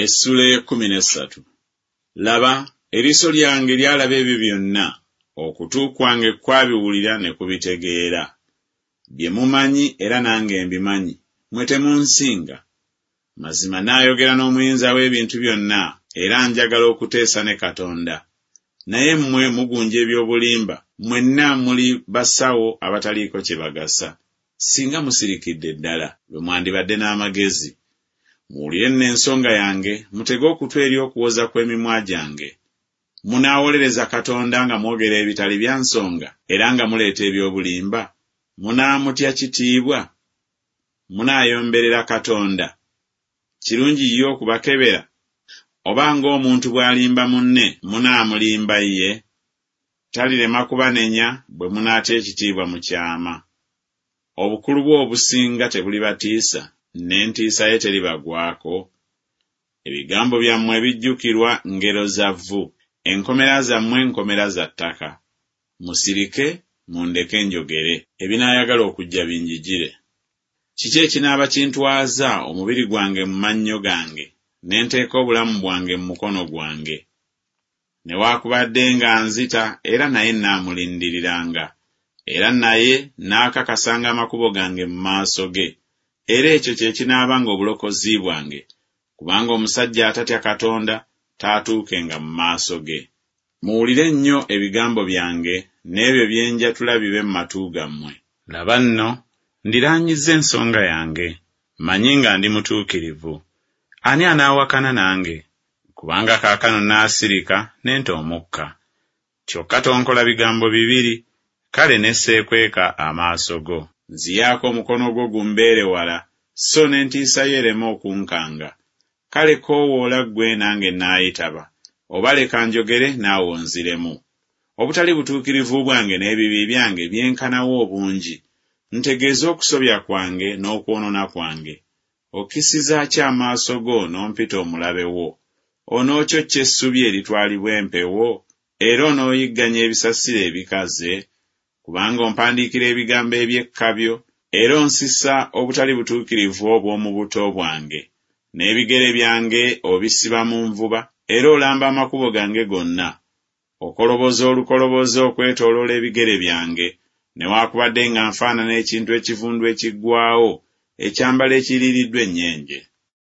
Essula ey'ekkumi n'essatu. Laba, eriiso lyange lyalaba ebyo byonna, okutu kwange kwabiwulira ne kubitegeera. Bye mumanyi era nange mbimanyi, mmwe temunsinga. Mazima nnaayogera n'Omuyinza w'ebintu byonna, era njagala okuteesa ne Katonda. Naye mmwe mugunja eby'obulimba, mmwenna muli basawo abataliiko kye bagasa. Singa musirikidde ddala, lwe mwandibadde n'amagezi. Muwulire nno ensonga yange, mutege okutu eri okuwoza kw'emimwa gyange. Munaawolereza Katonda nga mwogera ebitali bya nsonga, era nga muleeta eby'obulimba? Munaamutya kitiibwa? Munaayomberera Katonda? Kirungi ye okubakebera? Oba ng'omuntu bw'alimba munne, munaamulimba ye? Talirema kubanenya bwe munaatya ekitiibwa mu kyama. Obukulu bwe obusinga tebulibatiisa, n'entiisa ye teribagwako? Ebigambo byammwe ebijjukirwa ngero za vvu, enkomera zammwe nkomera za ttaka. Musirike, mundeke njogere, ebinaayagala okujja binjijire. Kiki ekinaaba kintwaza omubiri gwange mu mannyo gange, ne nteeka obulamu bwange mu mukono gwange? Newaakubadde ng'anzita, era naye nnaamulindiriranga, era naye nnaakakasanga amakubo gange mu maaso ge, era ekyo kye kinaabanga obulokozi bwange, kubanga omusajja atatya Katonda taatuukenga mu maaso ge. Muwulire nnyo ebigambo byange, n'ebyo bye njatula bibe mu matu gammwe. Laba nno, ndiraanyizza ensonga yange, mmanyi nga ndi mutuukirivu. Ani anaawakana nange? Kubanga kaakano nnaasirika ne nta omukka. Kyokka tonkola bigambo bibiri, kale ne seekweka amaaso go. Nziyaako omukono gwo gumbeere wala, so n'entiisa yo ereme okunkanga. Kale koowoola ggwe nange nnaayitaba, oba leka njogere naawe onziremu. Obutali butuukirivu bwange n'ebibi byange byenkana wa obungi? Ntegeeza okusobya kwange n'okwonoona kwange. Okkissiza ki amaaso go n'ompita omulabe wo? Onookyokya essubi eritwalibwa empewo, era onooyigganya ebisasiro ebikaze? Kubanga ompandiikira ebigambo eby'ekkabyo, era onsisa obutali butuukirivu obw'omu buto bwange. N'ebigere byange obisiba mu nvuba, era olamba amakubo gange gonna. Okoloboza olukoloboze okwetooloola ebigere byange, newaakubadde nga nfaanana ekintu ekivundu ekiggwaawo, ekyambalo ekiriiriddwa ennyenje.